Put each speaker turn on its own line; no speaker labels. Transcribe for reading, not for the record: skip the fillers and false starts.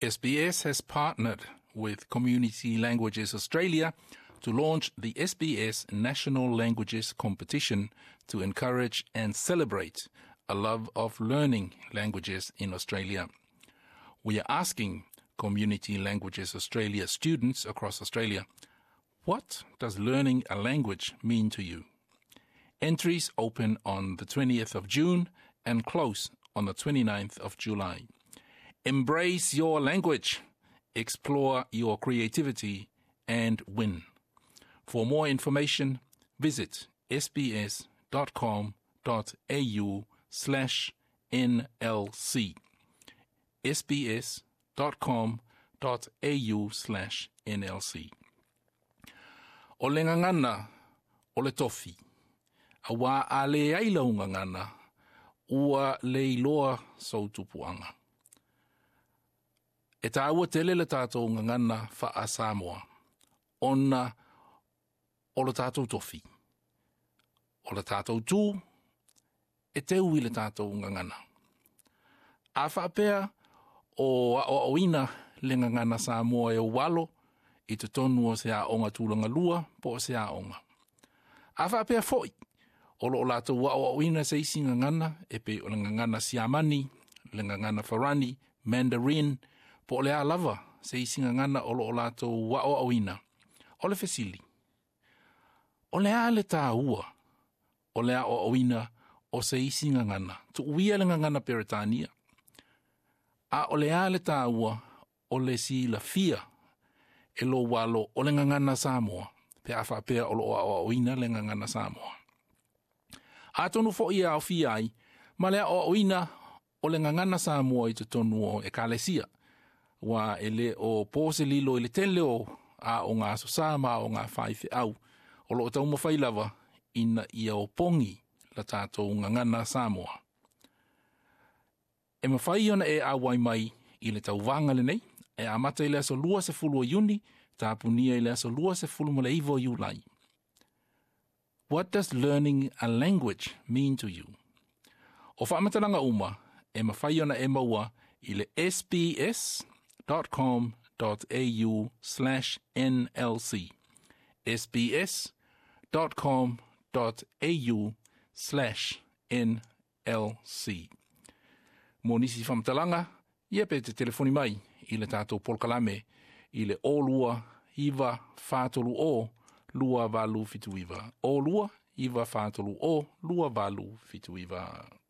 SBS has partnered with Community Languages Australia to launch the SBS National Languages Competition to encourage and celebrate a love of learning languages in Australia. We are asking Community Languages Australia students across Australia, what does learning a language mean to you? Entries open on the 20th of June and close on the 29th of July. Embrace your language, explore your creativity, and win. For more information, visit sbs.com.au slash nlc. sbs.com.au slash nlc. O le gagana o le tofi, auā a leai lau gagana, ua le iloa sou tupuaga. E tāua tele le tātou gagana faa-Samoa, ona o le tātou tofi. O le tātou tū, e teu i le tātou gagana. A faapea o aoaoina le gagana Samoa e ou alo i totonu o se aoga tulaga lua po o se aoga. A faapea foi, o lo o latou aoaoina se isi gagana e pei o le gagana Siamani, le gagana Farani, Mandarin, po o le a lava se isi gagana o lo o latou aoaoina. O le fesili, o le a le tāua o le aoaoina o se isi gagana, tuuia le gagana Peretania, a o le a le tāua o le silafia e lou alo o le gagana Samoa, pe a faapea o lo o aoaoina le gagana Samoa. Atonu foi e aofia ai ma le aoaoina o le gagana Samoa i totonu o ekalesia, aua e le o po se lilo i le tele o aoga Aso Sa ma aoga faifeau o lo o taumafai lava ina ia opogi la tatou gagana Samoa. E mafai ona e auai mai i le tauvaga lenei, e amata i le aso 20 o Iuni, tapunia i le aso 29 o Iulai. What does learning a language mean to you? O faamatalaga uma e mafai ona e maua i le sbs.com.au slash nlc. sbs.com.au slash nlc. Mo nisi faamatalaga, ia pe te telefoni mai i le tatou polokalame i le 02 9 4 3 0 2879. 02 9 4 3 0 2879.